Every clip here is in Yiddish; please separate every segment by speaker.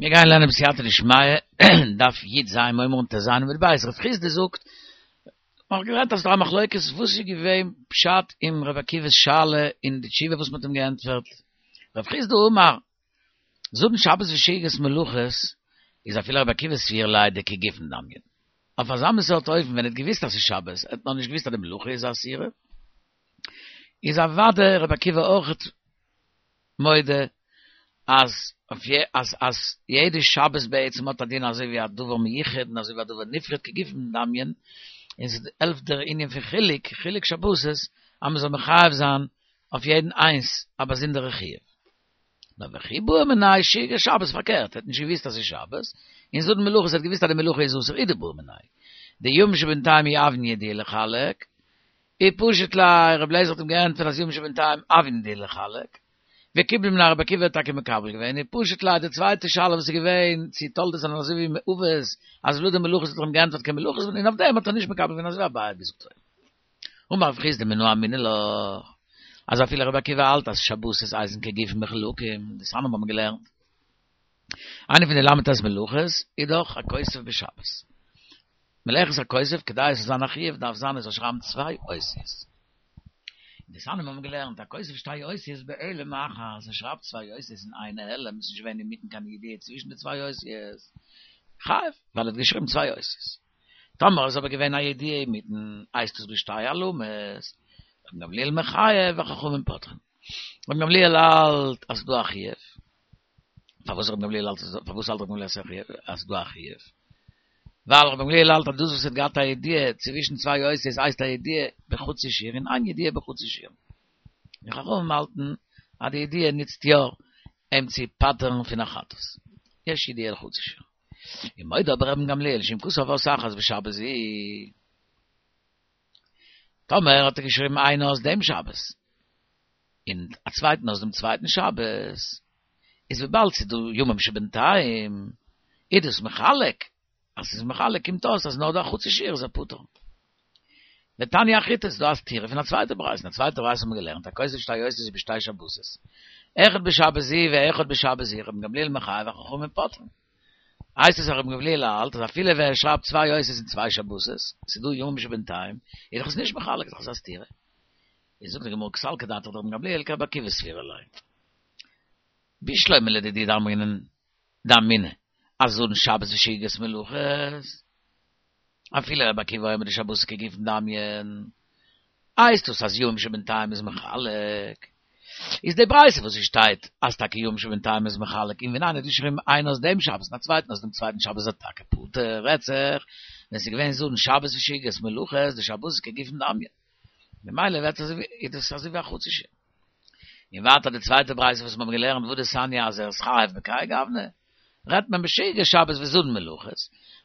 Speaker 1: מיר גייען לערנען בסייעתא דשמיא, דף י"ז מ'הייבט אן ט"ז עמוד ב', רב חסדא זאגט, מ'האט געלערנט אז ס'דא א מחלוקת וואס איז געווען פשט אין רבי עקיבא'ס שאלה און די תשובה וואס מ'האט אים געענטפערט, רב חסדא אמר, זדון שבת ושגגת מלאכות איז אפילו רבי עקיבא סבירא ליה דכגופן דמיין. אויף אזא מין סארט אופן ווען ער האט געוויסט אז ס'איז שבת, ער האט נאר נישט געוויסט אז די מלאכה איז אסורה, איז אוודאי רבי עקיבא אויכעט מודה אז אז אז יעדע שבת בעצם האט א דין אזוי ווי א דבר מיוחד און אזוי ווי א דבר נפרד כגופן דמיין, און ס'העלפט דער ענין פון חילוק, חילוק שבתות, אז מ'זאל מחייב זיין אויף יעדן איינס א באזונדערע חיוב. נאר וכי בעא מיניה שגגת שבת פארקערט, ער האט נישט געוואוסט אז ס'איז שבת, און זדון מלאכות ער האט געוואוסט אז די מלאכה איז אסור הוא דבעא מיניה. דימים שבינתיים אי הויין ידיעה לחלק, ופשיט ליה, רבי אליעזר האט אים געענטפערט אז ימים שבינתיים הויין ידיעה לחלק, וקיבל מיניה רבי עקיבא האט טאקע מקבל געווען, ופשיט ליה די צווייטע שאלה וואס איז געווען צו תולדות זענען אזוי ווי אבות אז ולד מלאכות האט ער אים געענטפערט כמלאכות און אויף דעם האט ער נישט מקבל געווען אזוי ווי אביי האט געזאגט אויבן. אמר רב חסדא מנא אמינא לה, אז אפילו רבי עקיבא האלט אז שבתות הייסן כגופן מחולקים, דתניא האבן מיר געלערנט. איינע פון די ל"ט מלאכות איז דאך הכותב בשבת. מלאכת הכותב, כדי עס זאל זיין א חיוב דארף זיין ער זאל שרייבן צוויי אותיות. דתניא האבן מיר געלערנט, הכותב שתי אותיות בהעלם אחד, ער שרייבט צוויי אותיות אין איין העלם, עס איז נישט געווען אינמיטן קיין ידיעה צווישן די צוויי אותיות, חייב, ווייל ער האט געשריבן צוויי אותיות. טאמער איז אבער געווען א ידיעה אינמיטן, הייסט עס בשתי העלמות, רבן גמליאל מחייב וחכמים פוטרין. רבן גמליאל האלט אז ס'דא א חיוב. פארוואס רבן גמליאל האלט פארוואס האלט רבן גמליאל אז ס'דא א חיוב? ווייל רבן גמליאל האלט אז דאס וואס האט געהאט א ידיעה צווישן צוויי אותיות הייסט א ידיעה בחצי שיעור און אין ידיעה בחצי שיעור. און חכמים האלטן אז די ידיעה נוצט יא אים צו פטר'ן פון א חטאת. יש ידיעה לחצי שיעור. ומודה אבער רבן גמליאל שאם כתב אות אחת בשבת זו, טאמער האט ער געשריבן איין אות דעם שבת, און א צווייטן אות דעם צווייטן שבת, איז וויבאלד ס'איז דא ימים שבינתיים, איז דאס מחלק, אז ס'איז מחלק קומט אויס אז נאר דא א חצי שיעור איז ער פטור. ותניא אחריתא, ס'איז דא א סתירה פון א צווייטע ברייתא, אין א צווייטע ברייתא האט מען געלערנט הכותב שתי אותיות בשתי שבתות, אחד בשבת זו ואחד בשבת זו, רבן גמליאל מחייב וחכמים פוטרין. הייסט עס אז רבן גמליאל האלט אז אפילו ווען ער שרייבט צוויי אותיות אין צוויי שבתות, ס'איז דא ימים שבינתיים, איז דאך עס נישט מחלק, איז דאך עס א סתירה. איז זאגט די גמרא קא סלקא דעתך דרבן גמליאל כרבי עקיבא סבירא ליה. בשלמא לדידי דאמרינן דאמינא אז זדון שבת ושגגת מלאכות, אפילו רבי עקיבא אומר דשבתות כגופן דמיין, הייסט דאס אז ימים שבינתיים איז מחלק? איז די ברייתא וואס עס שטייט אז טאקע ימים שבינתיים איז מחלק און ווען איינער האט געשריבן איין אות דעם שבת און א צווייטן אות דעם צווייטן שבת איז ער טאקע פטור, רעדט זיך ווען ס'איז געווען זדון שבת ושגגת מלאכות דשבתות כגופן דמיין ממילא ווערט אזוי ווי איז דאס אזוי ווי א חצי שיעור. און ווייטער די צווייטע ברייתא וואס מיר האבן געלערנט והא דתניא אז ער איז חייב בכהאי גוונא, רעדט מען בשגגת שבת וזדון מלאכות,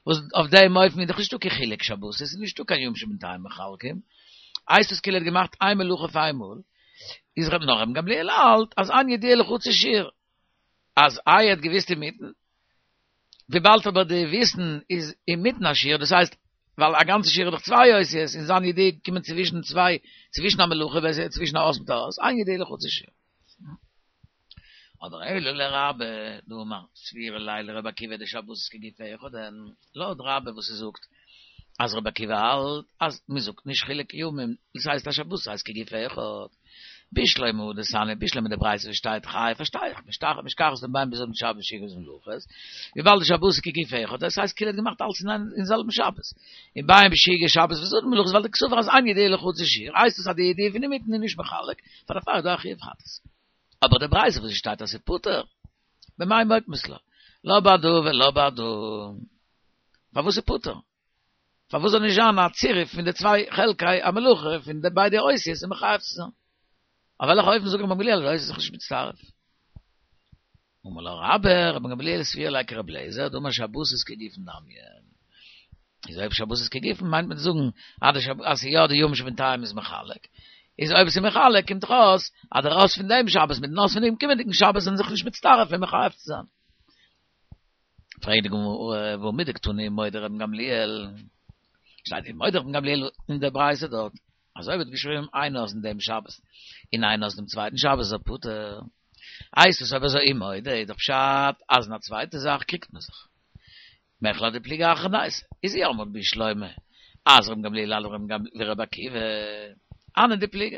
Speaker 1: וואס אויף דעם אופן איז דאך נישטא קיין חילוק שבתות, עס איז נישטא קיין ימים שבינתיים מחלקים, הייסט עס כאילו ער האט געמאכט איין מלאכה אויף איינמאל, איז ר' נאר רבן גמליאל האלט אז אין ידיעה לחצי שיעור, אז איי ער האט געוויסט אינמיטן, וויבאלד אבער די וויסן איז אינמיטן א שיעור, דאס הייסט, ווייל א גאנצע שיעור איז דאך צוויי אותיות, און זיין ידיעה קומען צווישן צוויי, צווישן א מלאכה, צווישן א אות מיט א אות, אין ידיעה לחצי שיעור. אבער אלא לרבה דאמר סבירא ליה לרבי עקיבא דשבתות כגוף אחד הן, לויט רבה וואס ער זאגט אז רבי עקיבא האלט אז מען זאגט נישט חילוק ימים, דאס הייסט אז שבת הייסט כגוף אחד, בשלמא הא דתניא, בשלמא די ברייתא וואס שטייט חייב פארשטיי איך, משכחת לה בין בזדון שבת ושגגת מלאכות, וויבאלד די שבת איז כגוף אחד, דאס הייסט כאילו ער האט געמאכט אלץ אין זעלבן שבת, און בין בשגגת שבת וזדון מלאכות ווייל דקסבר אז אין ידיעה לחצי שיעור, הייסט עס אז די ידיעה פון אינמיטן איז נישט מחלק, פאר דערפאר איז דא א חיוב חטאת. אבער די ברייתא וואס שטייט אז ס'איז פטור, במאי מוקמת לה? לא בהדא ולא בהדא. פארוואס איז פטור? פארוואס זאל נישט זיין א צירוף פון די צוויי חלקי המלאכה פון די ביידע אותיות און מחייב צו זיין? אויף וועלכע אופן זאגט רבן גמליאל אז די אותיות איז זיך נישט מצטרף? אמר לך רבה, רבן גמליאל סבירא ליה כרבי אליעזר, דאמר שבתות כגופן דמיין. איז אויב שבתות כגופן מיינט מען צו זאגן אז די שבת אז יא די ימים שבינתיים איז מחלק. איז אויב עס איז מחלק קומט דאך אויס אז דער אות פון דעם שבת מיטן אות פון דעם קומענדיגן שבת זענען זיך נישט מצטרף און מחייב צו זיין. פרעגט די גמרא, והא מדקתני מודה רבן גמליאל, שטייט דא מודה רבן גמליאל אין דער ברייתא דארט, אז אויב האט געשריבן איין אות אין דעם שבת און איין אות דעם צווייטן שבת איז ער פטור. הייסט עס אויב אזוי אי מודה איז דאך פשט אז אין א צווייטע זאך קריגט מען זיך. מכלל דפליגי אחרא דאורייתא איז אי אמרת בשלמא אז רבן גמליאל האלט ווי ר' עקיבא הני דפליגי.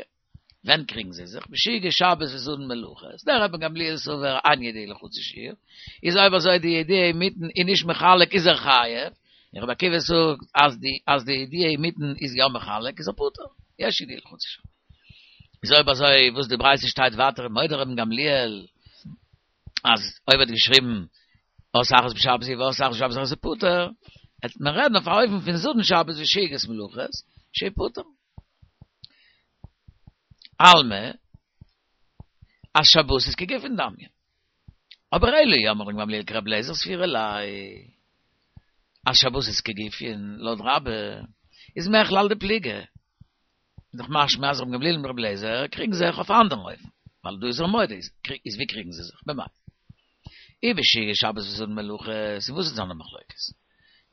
Speaker 1: ווען קריגן זיי זיך? בשאיגה שבת וזדון מלאכות, דער רבן גמליאל סבר אין ידיעה לחצי שיעור, איז אויב אזוי די ידיעה אינמיטן איז נישט מחלק איז ער חייב, און רבי עקיבא זאגט אז די אז די ידיעה אינמיטן איז יא מחלק איז ער פטור, יש ידיעה לחצי שיעור. איז אויב אזוי וואס די ברייתא שטייט ווייטער מודה רבן גמליאל אז אויב האט געשריבן אות אחת בשבת זו ואות אחת בשבת אחרת איז פטור, העט מען רעדן אויף א אופן פון זדון שבת ושאיגת מלאכות שיהא פטור. אלמא, אז שבתות כגופין דמיא. אבער אלא אי אמרת רבן גמליאל כרבי אליעזר סבירא ליה. אז שבתות כגופין, לויט רבה, איז מכלל דפליגי. איז דאך משמע אז רבן גמליאל און רבי אליעזר קריגן זיך אויף א אנדערן אופן, ווייל דא איז ער מודה, איז ווי קריגן זיי זיך? במאי? אי בשאיגה שבת וזדון מלאכות, און וואס איז זיינע מחלוקת?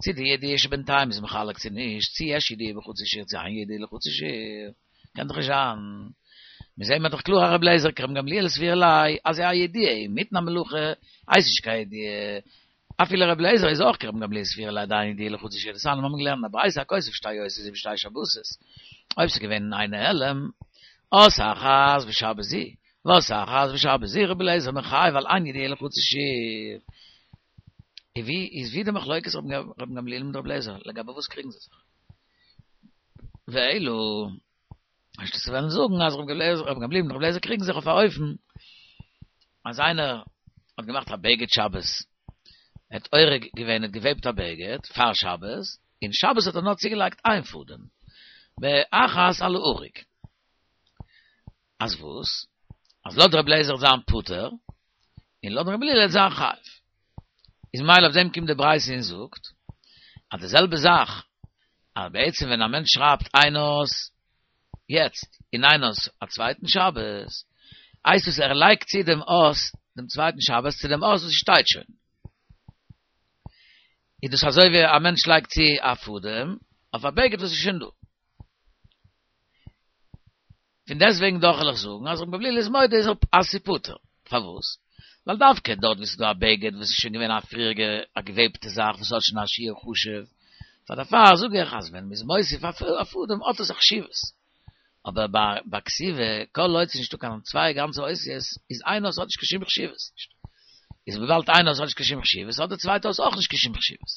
Speaker 1: צו די ידיעה שבינתיים איז מחלק צו נישט, צו יש ידיעה בחצי שיעור צו אין ידיעה לחצי שיעור, קען דאך נישט זיין. מיר זעהן דאך קלאר אז רבי אליעזר כרבן גמליאל סבירא ליה אז א ידיעה אינמיטן א מלאכה הייסט נישט קיין ידיעה, אפילו רבי אליעזר איז אויך כרבן גמליאל סבירא ליה דאין ידיעה לחצי שיעור, דתניא מיר האבן געלערנט א ברייתא הכותב שתי אותיות בשתי שבתות, אויב ס'איז געווען אין איין העלם, אות אחת בשבת זו, ואות אחת בשבת זו רבי אליעזר מחייב ווייל אין ידיעה לחצי שיעור. איז ווי איז ווי די מחלוקת רבן גמליאל מיט רבי אליעזר לגבי וואס קריגן זיי זיך? ואלא אז צו וועלן זאגן אז רבן גמליאל מיט רבי אליעזר קריגן זיך אויף א אופן אז איינער האט געמאכט א בגד שבת, ער האט אורג געווען, ער האט געוועבט א בגד פאר שבת, און שבת האט ער נאר צוגעלייגט איין פאדעם, באחת על האריג. אז וואס? אז לויט רבי אליעזר וועט זיין פטור, און לויט רבי גמליאל וועט זיין חייב. איז ממילא אויף דעם קומט די ברייתא און זאגט, אז די זעלבע זאך, אז בעצם ווען א מענטש שרייבט איין אות יעצט, און איין אות א צווייטן שבת, הייסט עס ער לייגט צו דעם אות דעם צווייטן שבת צו דעם אות וואס שטייט שוין. איז דאס אזוי ווי א מענטש לייגט צו א פאדעם אויף א בגד וואס איז שוין דא. פון דעסטוועגן דאך וועל איך זאגן אז רבן גמליאל איז מודה איז אז ס'איז פטור. פארוואס? ווייל דווקא דארט וואו ס'איז דא א בגד וואס איז שוין געווען א פריעריגע א געוועבטע זאך וואס האט שוין א שיעור חשוב, פאר דערפאר זאג איך אז ווען מ'איז מוסיף א פאדעם האט עס א חשיבות. אבער ביי ביי כתיבה כל עוד ס'איז נישטא קיין צוויי גאנצע אותיות איז איין אות האט נישט קיין שום חשיבות נישט. איז וויבאלד איין אות האט נישט קיין שום חשיבות האט די צווייטע אות אויך נישט קיין שום חשיבות.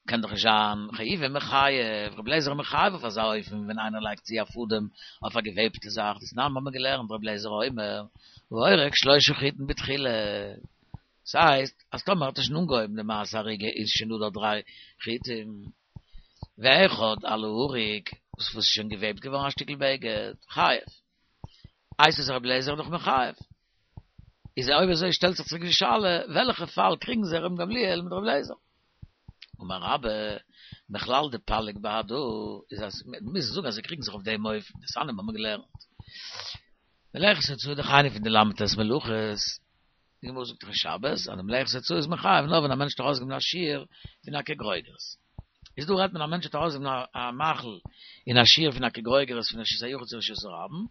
Speaker 1: קען דאך נישט זיין חיובי מחייב, רבי אליעזר איז מחייב אויף אזא אופן ווען איינער לייגט צו א פאדעם אויף א געוועבטע זאך, דתנן האבן מיר געלערנט רבי אליעזר אומר, האורג שלושה חוטין בתחילה, ס'הייסט אז טאמער האט ער שוין אנגעהויבן די מעשה אריגה איז שוין דא דארט דריי חוטים, ואחד על האריג, וואס איז שוין געוועבט געווארן א שטיקל בגד, חייב. הייסט עס רבי אליעזר איז דאך מחייב. איז אויב אזוי שטעלט זיך צוריק די שאלה, וועלכע פאל קריגן זיך רבן גמליאל מיט רבי אליעזר? אמר רבה, מכלל דפליג בהדא, איז אז מ'מוז זאגן אז זיי קריגן זיך אויף דעם אופן, דתניא האבן מיר געלערנט. מלאכת הוצאה דאך איינע פון די ל"ט מלאכות, די גמרא זאגט דאך אין שבת אז די מלאכת הוצאה איז מחייב נאר ווען א מענטש האט ארויסגעגעבן א שיעור פון א כגרוגרת. איז דא רעדט מען א מענטש האט ארויסגעגעבן א מאכל אין א שיעור פון א כגרוגרת פון רשות היחיד צו רשות הרבים,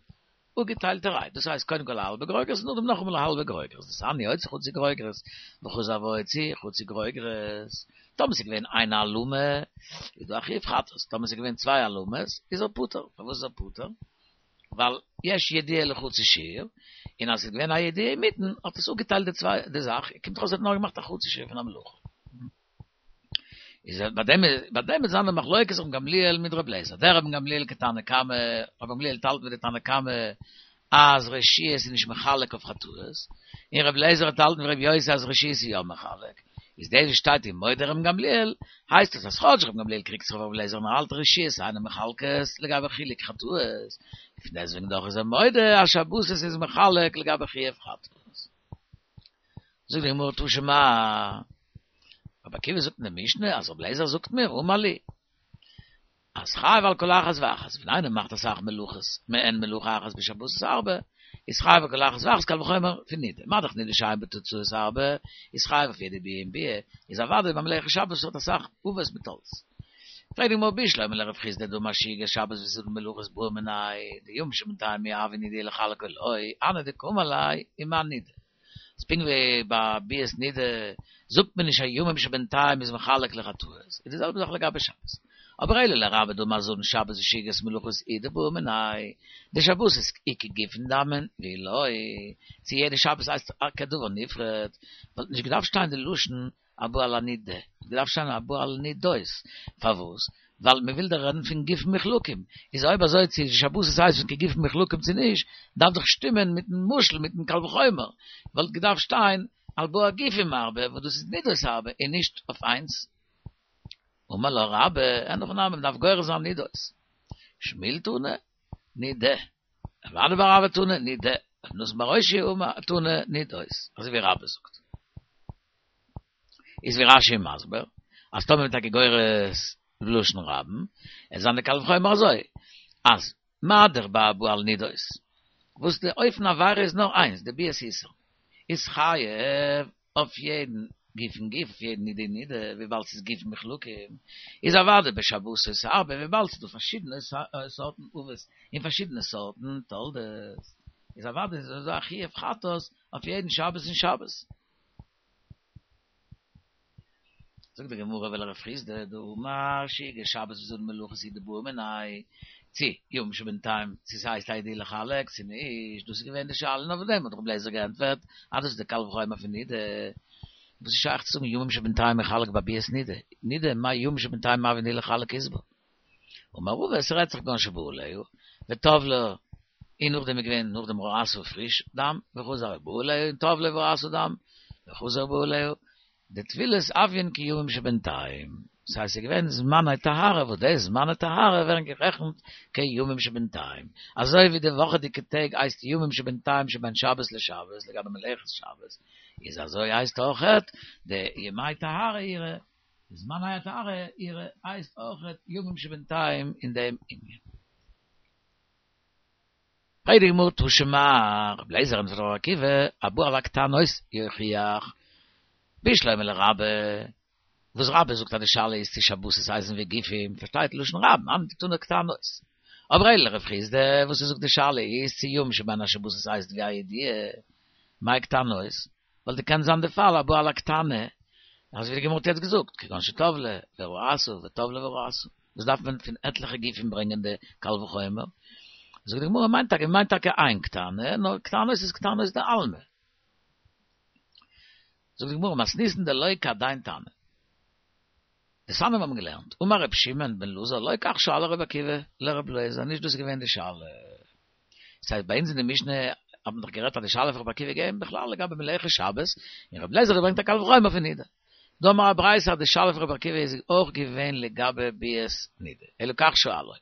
Speaker 1: אפגעטיילטערהייט, דאס הייסט קודם כל א האלבע גרוגרת און נאכדעם נאכאמאל א האלבע גרוגרת, דתניא הוציא חצי גרוגרת וחזר והוציא חצי גרוגרת, טאמער ס'איז געווען איין העלמה איז דא א חיוב חטאת, טאמער ס'איז געווען צוויי העלמות איז ער פטור, פארוואס איז ער פטור? ווייל יש ידיעה לחצי שיעור, און אז ס'איז געווען א ידיעה אינמיטן האט עס אפגעטיילט די צוויי די זאך, קומט אויס ער האט נאר געמאכט א חצי שיעור פון א מלאכה. איז ביי דעם ביי דעם איז זיין די מחלוקת רבן גמליאל מיט רבי אליעזר דרבן גמליאל כתנא קמא רבן גמליאל האלט ווי די תנא קמא אז רשיות איז נישט מחלק אויף חטאות און רבי אליעזר האט האלטן ווי רבי יוסי אז רשיות איז יא מחלק איז דאס וואס שטייט ומודה רבן גמליאל הייסט עס אז כאטש רבן גמליאל קריגט זיך אויף רבי אליעזר און ער האלט רשיות אינן מחלקות לגבי חילוק חטאות פון דעסטוועגן דאך איז ער מודה אז שבתות איז מחלק לגבי חיוב חטאות. זאגט די גמרא תא שמע, רבי עקיבא זאגט אין די משנה אז רבי אליעזר זאגט מיר, אמר לי, אז חייב על כל אחת ואחת, ווען איינער מאכט אסאך מלאכות, מעין מלאכה אחת בשבתות הרבה, איז חייב על כל אחת ואחת קל וחומר פון נידה, מה דאך נידה שאין בה תוצאות הרבה, איז חייב אויף יעדע ביאה און ביאה, איז אוודאי ביי מלאכת שבת וואס האט אסאך אבות מיט תולדות. פרעגט די גמרא בשלמא לרב חסדא דאמר שהיית שבת וסעודת מלאכות בעא מיניה דימים שבינתיים מי הוה נידה לחלק או לא, הני דקאמר ליה ומה נידה. אז פונקט ווי ביי ביאת נידה זאגט מען נישט אז ימים שבינתיים איז מחלק לחטאות, איז די זעלבע זאך לגבי שבת. אבער אלא לרבה דאמר זדון שבת ושהיית מלאכות הוא דבעא מיניה, דשבתות איכא גופין דמין ואי לא, צו יעדע שבת הייסט כדבר נפרד, וואלט נישט געדארפט שטיין די לשון הבא על הנידה, וואלט געדארפט שטיין הבא על הנידות, פארוואס? ווייל מען וויל דאך רעדן פון גופין מחולקים, איז אויב אזוי צו שבתות הייסן כגופין מחולקים צו נישט, דארף דאך שטימען מיטן משל מיטן קל וחומר, וואלט געדארפט שטיין על באי גופים הרבה וואס דאס איז נידות הרבה און נישט אויף איינס. אמר לה רבה, אין הכי נמי, מען דארף גורס זיין נידות. שמואל תני, נידה. רב אדא בר אהבה תני, נידה. רב נתן בר אושעיא תני, נידות. אזוי ווי רבה זאגט. איז ווי רש"י מסביר, אז טאמער מ'איז טאקע גורס בלשון רבים, וועט זיין די קל וחומר אזוי, אז מה דאך ביי הבא על נידות, וואס די אופן העבירה איז נאר איינס, די ביאת איסור, איז חייב אויף יעדן גוף און גוף, אויף יעדן נידה און נידה, וויבאלד ס'איז גופין מחולקים, איז אוודאי בשבתות הרבה, וויבאלד ס'איז דא פארשידענע סארטן אבות און פארשידענע סארטן תולדות, איז אוודאי איז דא א חיוב חטאת אויף יעדן שבת און שבת. זאגט די גמרא ולרב חסדא דאמר שהיית שבת וזדון מלאכות הוא דבעא מיניה, צו ימים שבינתיים צו ס'הייסט א ידיעה לחלק צו נישט, דאס איז געווען די שאלה און אויף דעם האט רבי אליעזר געענטפערט אז דאס איז די קל וחומר פון נידה, וואס איז שייך צו זאגן ימים שבינתיים מחלק ביי ביאת נידה, נידה מאי ימים שבינתיים הוה נידה לחלק אית בה. אמר רבא עס רעדט זיך כגון שבא עליה וטבלה און נאכדעם איז געווען נאכדעם ראתה פריש דם וחזר ובא עליה און טבלה וראתה דם וחזר ובא עליה דטבילות הויין כימים שבינתיים דאס הייסט ס'איז געווען זמני טהרה וואס די זמני טהרה ווערן גערעכנט כימים שבינתיים אזוי ווי די וואכעדיגע טעג הייסט ימים שבינתיים שבין שבת לשבת לגבי מלאכת שבת איז אזוי הייסט אויכעט די ימי טהרה אירע די זמני הטהרה אירע הייסט אויכעט ימים שבינתיים אין דעם ענין. פרעגט די גמרא תא שמע, רבי אליעזר ענטפערט רבי עקיבא, הבא על הקטנות יוכיח, בשלמא לרבה, וואס רבה זאגט אז די שאלה איז צו שבתות הייסן ווי גופים, פארשטייט לשון רבים, הני דקתני קטנות. אבער אלא לרב חסדא, וואס ער זאגט די שאלה איז צו ימים שבין השבתות הייסט ווי א ידיעה, מאי קטנות, ווייל די קען זיין די פאל הבא על הקטנה, אזוי ווי די גמרא האט יעצט געזאגט, כגון שטבלה וראתה וטבלה וראתה, וואס דארף מען פון עטליכע גופים ברענגען די קל וחומר? זאגט די גמרא מיינט טאקע מיינט טאקע איין קטנה, נאר קטנות איז קטנות דעלמא. זאגט די גמרא מתניתין דלא כהדין תנא. דתניא האבן געלערנט, אמר ר' שמעון בן אלעזר לא כך שאל ר' עקיבא לר' אליעזר, נישט דאס איז געווען די שאלה. ס'הייסט ביי אונז אין די משנה האט מען דאך גערעדט אז די שאלה פון ר' עקיבא איז געווען בכלל לגבי מלאכת שבת, און ר' אליעזר האט געברענגט א קל וחומר פון נידה. דא האבן מיר א ברייתא אז די שאלה פון ר' עקיבא איז אויך געווען לגבי ביאת נידה, אלא כך שאלו.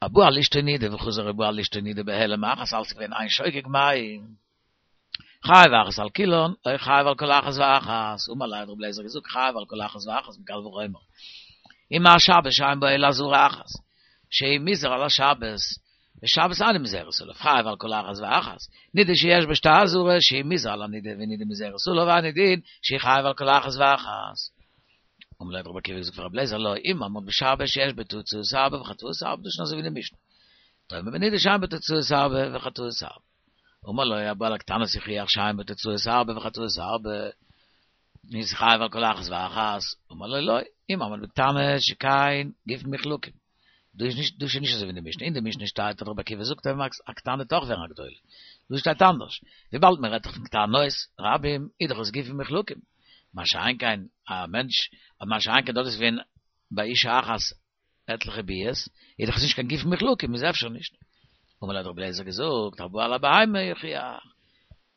Speaker 1: הבא על אשתו נידה וחזר ובא על אשתו נידה בהעלם אחת אלץ איז געווען איין שוגג מהו. חייב אחת על כולן, או חייב על כל אחת ואחת, אמר ליה האט רבי אליעזר געזאגט חייב על כל אחת ואחת מקל וחומר. ומה שבת שאין בה אלא אזהרה אחת, שהיא מוזהר על השבת, ושבת אינה מוזהרת עליו, חייב על כל אחת ואחת, נידה שיש בה שתי אזהרות, שהוא מוזהר על הנידה ונידה מוזהרת עליו, אינו דין שהוא חייב על כל אחת ואחת. אמר ליה האט רבי עקיבא געזאגט פאר רבי אליעזר לא, אם אמרת בשבת שיש בה תוצאות הרבה וחטאות הרבה, דאס איז שוין אזוי ווי די משנה. תאמר בנידה שאין בה תוצאות הרבה וחטאות הרבה. אמר לו הבא על הקטנות יוכיח שאין בה תוצאות הרבה וחטאות הרבה, איז חייב על כל אחת ואחת, אמר לו לא, אם אמרת בקטנה שכן גופין מחולקים. דא איז נישט, דא איז שוין נישט אזוי ווי אין די משנה, אין די משנה שטייט אז רבי עקיבא זאגט אז א קטנה טאר ווערן א גדולה, דא שטייט אנדערש, וויבאלד מען רעדט דאך פון קטנות רבים איז דאך עס גופין מחולקים, מה שאין כן א מענטש, מה שאין כן דארט איז געווען ביי אשה אחת עטליכע ביאות, איז דאך עס נישט קיין גופין מחולקים, איז אפשר נישט. אמר לו האט רבי אליעזר געזאגט, הבא על הבהמה יוכיח,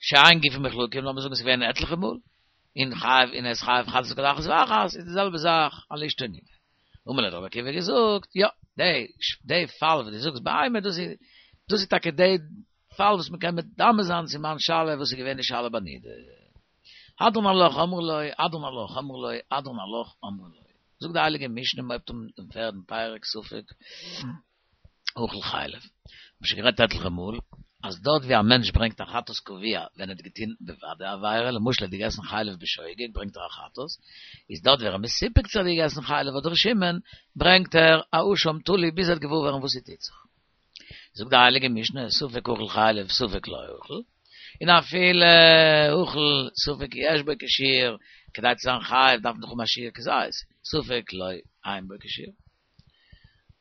Speaker 1: שאין גופין מחולקים, לאמיר זאגן עס איז געווען עטליכע מאל, און חייב און ער איז חייב חטאת על כל אחת ואחת, איז די זעלבע זאך על אשתו נידה. אמר לו האט רבי עקיבא געזאגט, יא, די די פאל וואס דו זאגסט בהמה, דאס איז דאס איז טאקע די פאל וואס מען קען מדמה זיין צו מיין שאלה וואס איז געווען די שאלה ביי נידה. הדרן עלך אמרו לו, הדרן עלך אמרו לו, הדרן עלך אמרו לו. זאגט די הייליגע משנה מ'הויבט אן דעם פערדן פרק ספק אוכל חלב. מ'האט שוין גערעדט עטליכע מאל. אז דארט ווי א מענטש ברענגט א חטאת קבוע ווען ער האט געטון בוודאי עבירה, למשל ער האט געגעסן חלב בשוגג ברענגט ער א חטאת, איז דארט ווי ער איז מסופק צו ער האט געגעסן חלב אדער שמן, ברענגט ער א אשם תלוי ביז ער וועט געוואר ווערן וואס ס'טוט זיך. זאגט די הייליגע משנה, ספק אכל חלב ספק לא אכל, און אפילו אכל ספק יש בו כשיעור, כדי צו זיין חייב דארף מען דאך האבן א שיעור כזית, ספק לא אין בו כשיעור.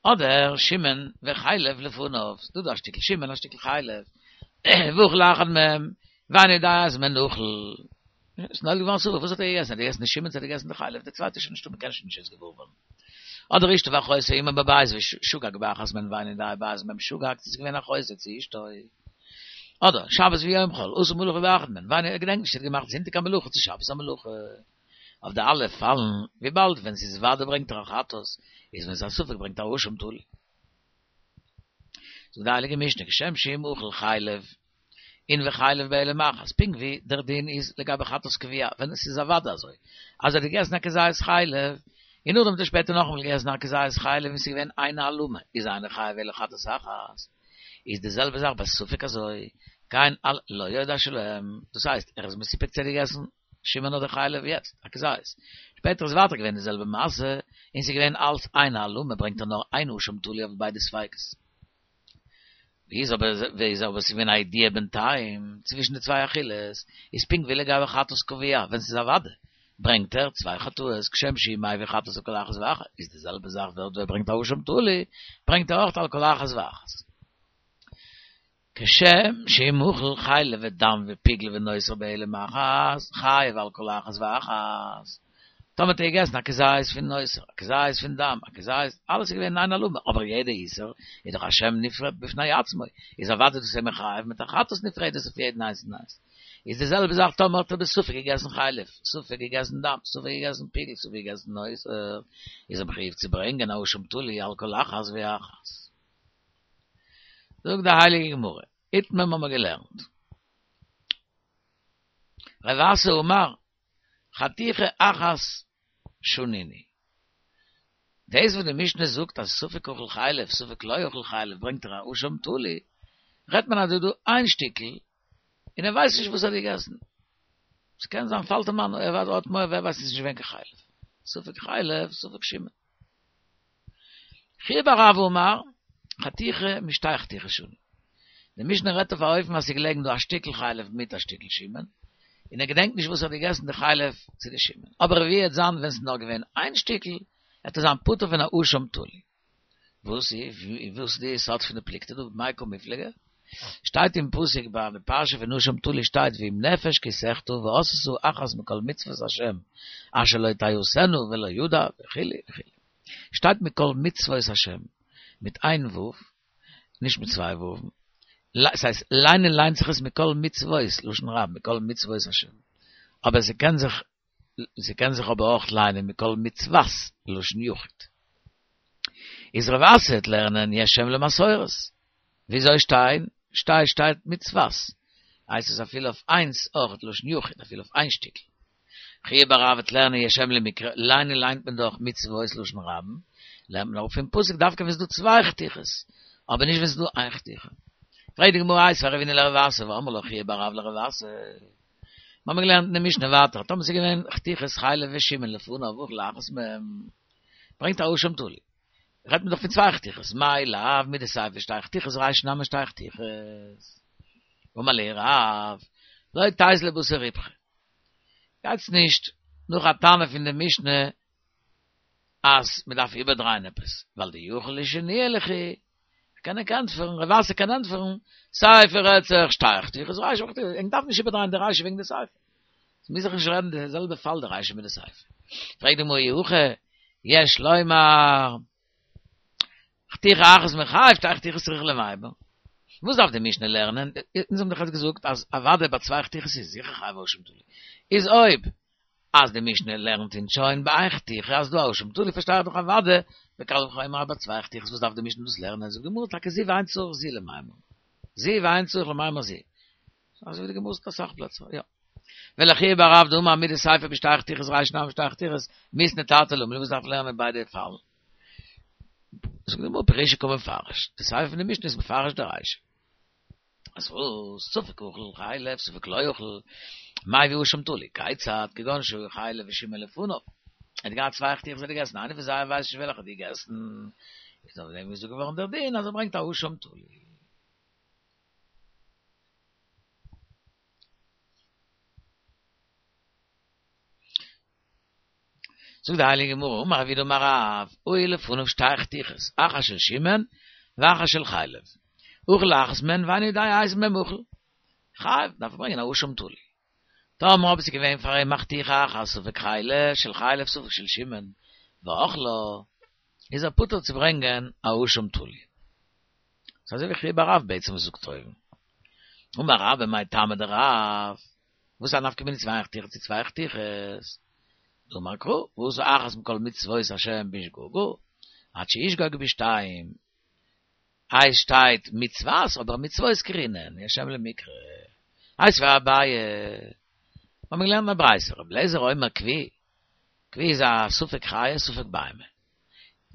Speaker 1: אדער שמן וחלב לפניו, ס'דא דא א שטיקל שמן א שטיקל חלב, ואכל אחד מהם, ואינו יודע איזה מהן אכל, ס'איז נולד געווארן ספק, וואס האט ער געגעסן? האט ער געגעסן די שמן צו האט ער געגעסן די חלב? די צווייטע איז שוין נישטא, מ'קען שוין נישט יעצט געוואר ווערן. אדער אשתו ואחותו עמו בבית ושגג באחת מהן ואינו יודע באיזה מהן שגג, צו ס'איז געווען אחותו צו אשתו. אדער שבת ויום חול, עשה מלאכה באחת מהן, ואינו, ער געדענקט נישט צו ער האט געמאכט זונטאג א מלאכה צו שבת א מלאכה. אויף די אלע פאלן, וויבאלד ווען ס'איז וודאי ברענגט ער א חטאת, איז ווען ס'איז א ספק ברענגט ער א אשם תלוי. זאגט די הייליגע משנה, כשם שאם אכל חלב אין וחלב בהעלם אחת, פונקט ווי דער דין איז לגבי חטאת קבוע, ווען עס איז א וודאי אזוי, אז ער האט געגעסן א כזית חלב, און נאכדעם האט ער שפעטער נאכאמאל געגעסן א כזית חלב און ס'איז געווען איין העלמה, איז אינו חייב אלא חטאת אחת. איז די זעלבע זאך ביי ספק אזוי, כן על לא יודע שלהם, דאס הייסט ער איז מסופק צו ער האט געגעסן שמן אדער חלב יעצט, א כזית. שפעטער איז ווייטער געווען די זעלבע מעשה, און ס'איז געווען אלץ איין העלמה, ברענגט ער נאר איין אשם תלוי אויף ביידע ספיקות. ווי איז אבער ווי איז אבער ס'איז געווען א ידיעה בינתיים צווישן די צוויי אכילות, איז פונקט ווי לגבי חטאת קבוע, ווען ס'איז א וודאי, ברענגט ער צוויי חטאות, כשם שהוא מביא חטאת על כל אחת ואחת, איז די זעלבע זאך דארט ווי ער ברענגט א אשם תלוי, ברענגט ער אויך על כל אחת ואחת. כשם שאם אכל חלב ודם ופיגול ונותר בהעלם אחת, חייב על כל אחת ואחת. טאמער האט ער געגעסן א כזית פון נותר, א כזית פון דם, א כזית, אלעס איז געווען איין העלמה, אבער יעדע איסור איז דאך א שם נפרד בפני עצמו, איז אוודאי דאס איז מחייב מיט א חטאת נפרדת אויף יעדן איינס און איינס. איז די זעלבע זאך טאמער האט ער בספק געגעסן חלב, ספק געגעסן דם, ספק געגעסן פיגול, ספק געגעסן נותר, איז ער מחויב צו ברענגען א אשם תלוי על כל אחת ואחת. זאגט די הייליגע גמרא, איתמר האבן מיר געלערנט, רב אסי אמר, חתיכה אחת שנינו. דאס וואס די משנה זאגט אז ספק אכל חלב ספק לא אכל חלב ברענגט ער א אשם תלוי, רעדט מען אז דא איז דא איין שטיקל און ער ווייסט נישט וואס ער האט געגעסן. ס'קען זיין פאלט אים איין ער האט מורא ווער ווייסט עס איז נישט געווען קיין חלב. ספק חלב ספק שמן. חייא בר רבא אמר, חתיכה משתי חתיכות שנו. די משנה רעדט אויף א אופן אז ס'איז געלעגן דא א שטיקל חלב מיט א שטיקל שמן, און ער געדענקט נישט וואס ער האט געגעסן די חלב צו די שמן. אבער ווי וועט זיין ווען ס'איז נאר געווען איין שטיקל, וועט ער זיין פטור פון א אשם תלוי. וואס איז וואס איז די יסוד פון די פלוגתא דא במאי קא מיפלגי? שטייט אין פסוק ביי די פרשה פון אשם תלוי שטייט ואם נפש כי תחטא ועשתה אחת מכל מצוות השם אשר לא תעשינה ולא ידע וכו' וכו' שטייט מכל מצוות השם מיט איין ו' נישט מיט צוויי ו' ס'הייסט ליינען ליינט זיך עס מכל מצוות לשון רבים מכל מצוות השם אבער ס'קען זיך ס'קען זיך אבער אויך ליינען מכל מצוות, לשון יחיד. איז רב אסי וועט לערנען יש אם למסורת. וויאזוי שטיין? שטיי שטייט מצוות. הייסט עס אפילו אויף איינס אויך לשון יחיד, אפילו אויף איין שטיקל. חייא בר רב וועט לערנען יש אם למקרא, ליינען ליינט מען דאך מצוות לשון רבים, לערנט מען אראפ פון פסוק דווקא ווען ס'איז דא צוויי חתיכות, אבער נישט ווען ס'איז דא איין חתיכה. פרעגט די גמרא איתיביה רבינא לרב אסי, ואמרי לה חייא בר רב לרב אסי. מיר האבן געלערנט אין די משנה ווייטער, טאמער ס'איז געווען חתיכות חלב ושמן לפניו ואכל אחת מהם, ברענגט א אשם תלוי. רעדט מען דאך פון צוויי חתיכות, מאי לאו מדסיפא שתי חתיכות רישא נמי שתי חתיכות. אמר להו רב, לא תיזלו בתר ריפכא. גייטס נישט נאך א תנא פון די משנה אז מ'דארף איבערדרייען עפעס, ווייל דיכול לשנויי ליכא, כ'קען ענק ענטפערן, רב אסי קען ענטפערן, סיפא רעדט זיך שתי חתיכות רישא חתיכות, ענק דארף נישט איבערדרייען די רישא וועגן די סיפא. ס'מוז זיך נישט רעדן די זעלבע פאל די רישא מיט די סיפא. פרעגט די גמרא אי הכי, יש לומר, חתיכה אחת מיחייב, שתי חתיכות צריכא למימר. וואס דארף די משנה לערנען? אונז האבן דאך יעצט געזאגט אז אוודאי ביי צוויי חתיכות איז זיכער חייב אשם תלוי. איז אויב אז די משנה לערנט אונז שוין ביי איין חתיכה אז דא א אשם תלוי פארשטיי איך דאך אוודאי וקל וחומר אז ביי צוויי חתיכות וואס דארף די משנה דאס לערנען זאגט די גמרא טאקע זו ואין צריך זו למימר זו ואין צריך למימר זו אזוי ווי די גמרא זאגט אסאך פלעצער יא ולחייא בר רב דאמר מדסיפא בשתי חתיכות רישא נמי שתי חתיכות מיתני תרתי למה לי וואס דארף לערנען ביידע פאלן זאגט די גמרא פירושי קא מפרש די סיפא פון די משנה איז מפרש די רישא. אז וואס? ספק אכל חלב ספק לא אכל, מביא אשם תלוי, כיצד, כגון שהיו חלב ושמן לפניו, ער האט געהאט צוויי חתיכות ער האט געגעסן, איינע פון זיי ער ווייסט נישט וועלכע ער האט געגעסן, איז אויף דעם געזאגט געווארן דער דין אז ער ברענגט א אשם תלוי. זאגט די הייליגע גמרא, אמר רב יהודה אמר רב, היו לפניו שתי חתיכות, אחת של שמן ואחת של חלב, אכל אחת מהן ואינו יודע איזה מהן אכל, חייב, דארף ער ברענגען א אשם תלוי. טאמער אויב עס איז געווען פאר אים א חתיכה אחת ספק חלב של חלב ספק של שמן, ואכלה, איז ער פטור צו ברענגען א אשם תלוי. ס'איז אזוי ווי חייא בר רב בעצם וואס זאגט אויבן. אמר רבה מאי טעמא דרב, וואס איז א נפקא מינה צוויי חתיכות צו צוויי חתיכות? דאמר קרא, ועשה אחת מכל מצוות השם בשגגה, עד שישגוג בשתיים. איי שטייט מצוות אבער מצוות קרינן, יש אם למקרא. איתיביה אביי, האבן מיר געלערנט אין א ברייתא, רבי אליעזר אומר כוי, כוי איז א ספק חיה ספק בהמה.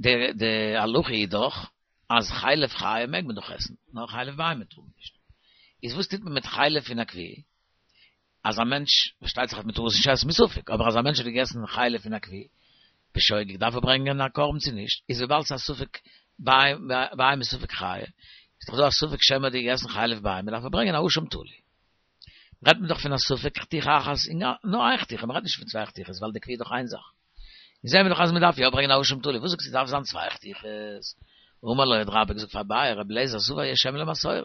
Speaker 1: די די הלכה איז דאך אז חלב חיה מעג מען דאך עסן, נאר חלב בהמה טאר מען נישט. איז וואס טוט מען מיט חלב פון א כוי? אז א מענטש, פארשטייט זיך אז מען טאר עס נישט עסן מספק, אבער אז א מענטש האט געגעסן חלב פון א כוי, בשוגג דארף ער ברענגען א קרבן צו נישט, איז וויבאלד ס'איז א ספק בהמה ספק חיה, איז דאך דא א ספק שמא האט געגעסן חלב בהמה, דארף ער ברענגען א אשם תלוי. רעדט מען דאך פון א ספק חתיכה אחת, נאר איין חתיכה, מען רעדט נישט פון צוויי חתיכות, ווייל די כוי איז דאך איין זאך. און זעהן מיר דאך אז מען דארף יא ברענגען א אשם תלוי, וואס זאגסטו דארף זיין צוויי חתיכות? אמר לו האט רבה געזאגט פאר אביי, רבי אליעזר סבר יש אם למסורת,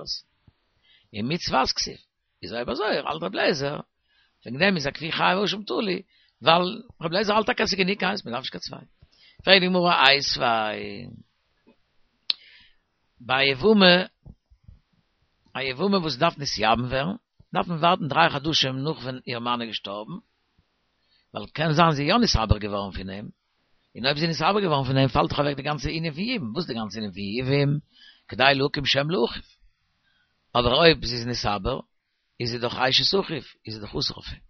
Speaker 1: ומצות כתיב, איז אויב אזוי האלט רבי אליעזר, וועגן דעם איז א כוי חייב אשם תלוי, ווייל רבי אליעזר האלט טאקע אז ס'איז גענוג איינס, מען דארף נישט קיין צוויי. פרעגט די גמרא איתיביה ביי יבמה, א יבמה וואס דארף נתייבם ווערן, דארף מען ווארטן דריי חדשים נאך ווען איר מאן איז געשטארבן, ווייל קען זיין זי איז יא נתעבר געווארן פון אים, און אויב זי איז נתעבר געווארן פון אים פאלט דאך אוועק די גאנצע ענין פון יבום, וואס איז די גאנצע ענין פון יבום? כדי להקים שם לאחיו. אבער אויב זי איז נתעבר, איז זי דאך אשת אחיו, איז זי דאך אסור אויף אים.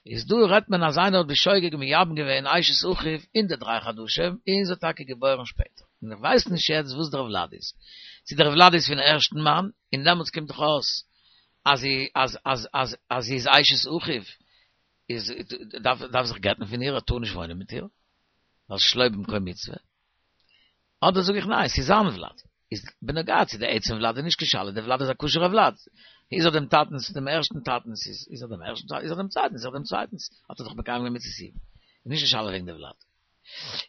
Speaker 1: איז דא רעדט מען אז איינער האט בשוגג מייבם געווען אשת אחיו אין די דריי חדשים, און זי האט טאקע געבוירן שפעטער. און איך ווייס נישט יעצט וואס דער ולד איז. צו דער ולד איז פון ערשטן מאן, און דעמאלטס קומט דאך אויס אז זי אז אז אז אז זי איז אשת אחיו, איז דארף דארף זיך גט'ן פון איר, ער טאר נישט וואוינען מיט איר, ווייל שלא במקום מצוה. אדער זאג איך ניין, ס'איז זיין ולד. איז בנוגע צו די עצם ולד איז נישט קיין שאלה, די ולד איז א כשר'ע ולד. איז ער דעם טאטנ'ס, דעם ערשטן טאטנ'ס, איז איז ער דעם ערשטן טאטנ'ס, איז ער דעם צווייטנ'ס, איז ער דעם צווייטנ'ס, האט ער דאך מקיים געווען מצות יבום. איז נישט די שאלה וועגן די ולד.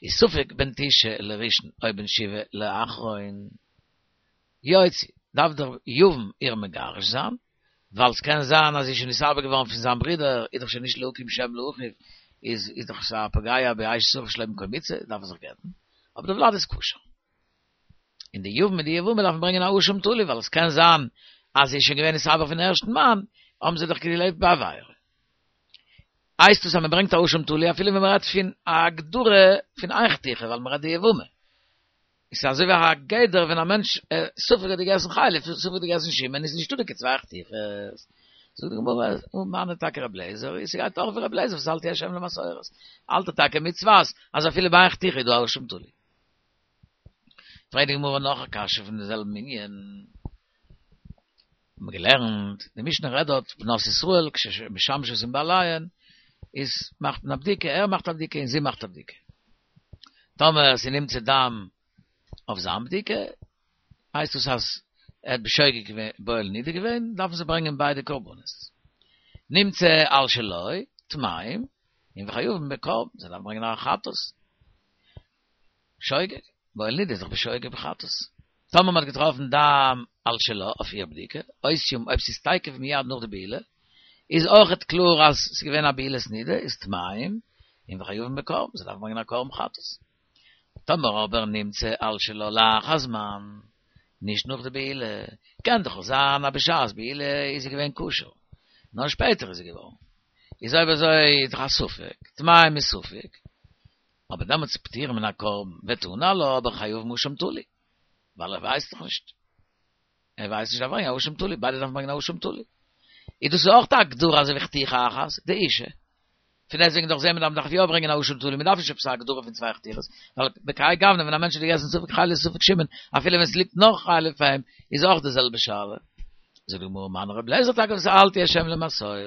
Speaker 1: איז ספק בן תשעה לראשון או בן שבעה לאחרון. יוציא, דארף דער יבם איר מגרש זיין, ווייל ס'קען זיין אז זי איז שוין נתעבר געווארן פון זיין ברודער, איז דאך שוין נישט להקים שם לאחיו, איז איז דאך א פוגע באשת אחיו שלא במקום מצוה, דארף ער זיך גט'ן, אבער די ולד איז כשר. און די יבם מיט די יבמה דארפן ברענגען א אשם תלוי, ווייל עס קען זיין אז זי איז שוין געווען נתעבר פון ערשטן מאן, האבן זיי דאך געלעבט בעבירה. הייסט עס אז מען ברענגט א אשם תלוי אפילו ווען מען רעדט פון א הגדרה פון איין חתיכה, ווייל מען רעדט די יבמה. עס איז אזוי ווי א גדר ווען א מענטש ספק האט געגעסן חלב ספק האט געגעסן שמן איז נישטא דא קיין צוויי חתיכות. זאגט די גמרא ומני טאקע רבי אליעזר איז ס'גייט אויך ווי רבי אליעזר וואס האלט יש אם למסורת האלט ער טאקע מצוות אז אפילו ביי איין חתיכה איז דא א אשם תלוי. פרעגט די גמרא נאך א קשיא פון די זעלבן ענין. האבן מיר געלערנט, די משנה רעדט דארט בנות ישראל כשמשמשות עם בעליהן, איז מאכט מען א בדיקה, ער מאכט א בדיקה און זי מאכט א בדיקה. טאמער ס'נמצא דם אויף זיין בדיקה, הייסט דאס אז ער האט בשוגג געווען בועל נידה געווען, דארפן זיי ברענגען ביידע קרבנות. נמצא על שלו, טמאים, און וחייבים בקרבן, זיי דארפן ברענגען א חטאת. שוגג, בועל נידה איז דאך בשוגג בחטאת. טאמער מ'האט געטראפן דם על שלה אויף איר בדיקה, אותיום אויב ס'איז תיכף מיד נאך די בעילה, איז אויכעט קלאר אז ס'איז געווען א בעילת נידה, איז טמאים, און וחייבים בקרבן, זיי דארפן ברענגען א קרבן חטאת. טאמער אבער נמצא על שלה לאחר זמן, נישט נאך די בעילה, קען דאך אויך זיין אז בשעת בעילה איז זי געווען כשר, נאר שפעטער איז זי געווארן. איז אויב אזוי איז דאך א ספק, טמאים מספק, אבער דעמאלטס פטורים מן הקרבן ותנא עלה אבער חייבים אשם תלוי, ווייל ער ווייסט דאך נישט, ער ווייסט נישט דארף ברענגען א אשם תלוי, ביידע דארפן ברענגען א אשם תלוי. איז דאס אויך א הגדרה אזוי ווי חתיכה אחת, דאשה. פון דעסטוועגן דאך זעהן מיר אז מ'דארף יא ברענגען א אשם תלוי, מ'דארף נישט עפעס א הגדרה פון צוויי חתיכות, ווייל בכהאי גוונא ווען א מענטש האט געגעסן ספק חלב ספק שמן, אפילו ווען ס'ליגט נאך חלב פאר אים, איז אויך די זעלבע שאלה. זאגט די גמרא מני רבי אליעזר תקף שאלתי השם למסורה.